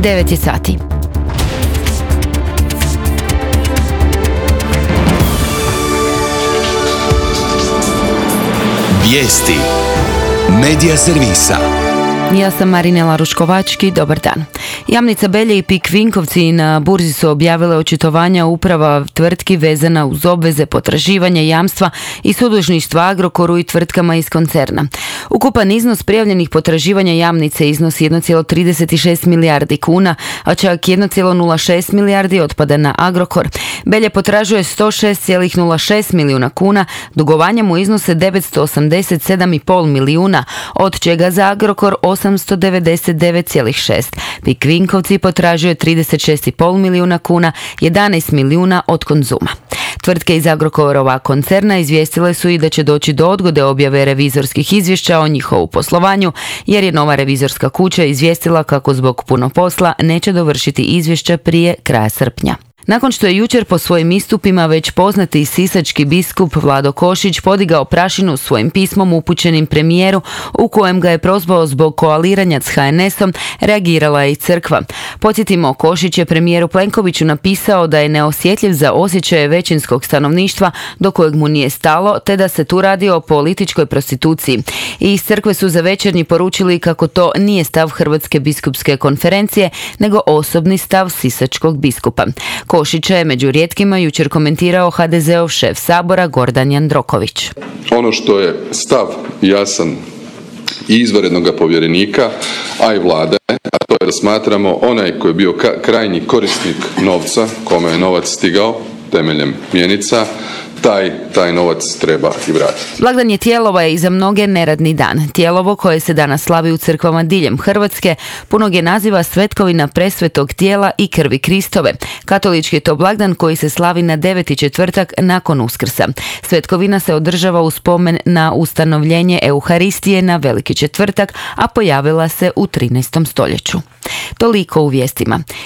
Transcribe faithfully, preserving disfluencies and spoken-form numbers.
devet je sati. Vijesti Medija servisa. Ja sam Marinela Ruškovački, dobar dan. Jamnica Belje i Pik Vinkovci na burzi su objavile očitovanja uprava tvrtki vezana uz obveze, potraživanja, jamstva i sudužništva Agrokoru i tvrtkama iz koncerna. Ukupan iznos prijavljenih potraživanja Jamnice iznosi jedan zarez trideset šest milijardi kuna, a čak jedan zarez nula šest milijardi otpada na Agrokor. Belje potražuje sto šest zarez nula šest milijuna kuna, dugovanja mu iznose devetsto osamdeset sedam zarez pet milijuna, od čega za Agrokor osamsto devedeset devet zarez šest. Pik Vinkovci potražuje trideset šest zarez pet milijuna kuna, jedanaest milijuna od Konzuma. Tvrtke iz Agrokorova koncerna izvijestile su i da će doći do odgode objave revizorskih izvješća o njihovu poslovanju, jer je nova revizorska kuća izvijestila kako zbog puno posla neće dovršiti izvješća prije kraja srpnja. Nakon što je jučer po svojim istupima već poznati sisački biskup Vlado Košić podigao prašinu svojim pismom upućenim premijeru u kojem ga je prozvao zbog koaliranja s ha en esom, reagirala je i crkva. Podsjetimo, Košić je premijeru Plenkoviću napisao da je neosjetljiv za osjećaje većinskog stanovništva do kojeg mu nije stalo, te da se tu radi o političkoj prostituciji. I iz crkve su za Večernji poručili kako to nije stav Hrvatske biskupske konferencije, nego osobni stav sisačkog biskupa. Košića je među rijetkima jučer komentirao ha de zeov šef Sabora Gordan Jandroković. Ono što je stav jasan i izvanrednog povjerenika, a i vlade, a to je da smatramo onaj koji je bio ka- krajnji korisnik novca, kome je novac stigao temeljem mjenica, taj, taj novac treba i vratiti. Blagdan je Tijelova je i za mnoge neradni dan. Tijelovo, koje se danas slavi u crkvama diljem Hrvatske, punog je naziva Svetkovina presvetog tijela i krvi Kristove. Katolički je to blagdan koji se slavi na deveti četvrtak nakon Uskrsa. Svetkovina se održava u spomen na ustanovljenje Euharistije na Veliki četvrtak, a pojavila se u trinaestom stoljeću. Toliko u vijestima.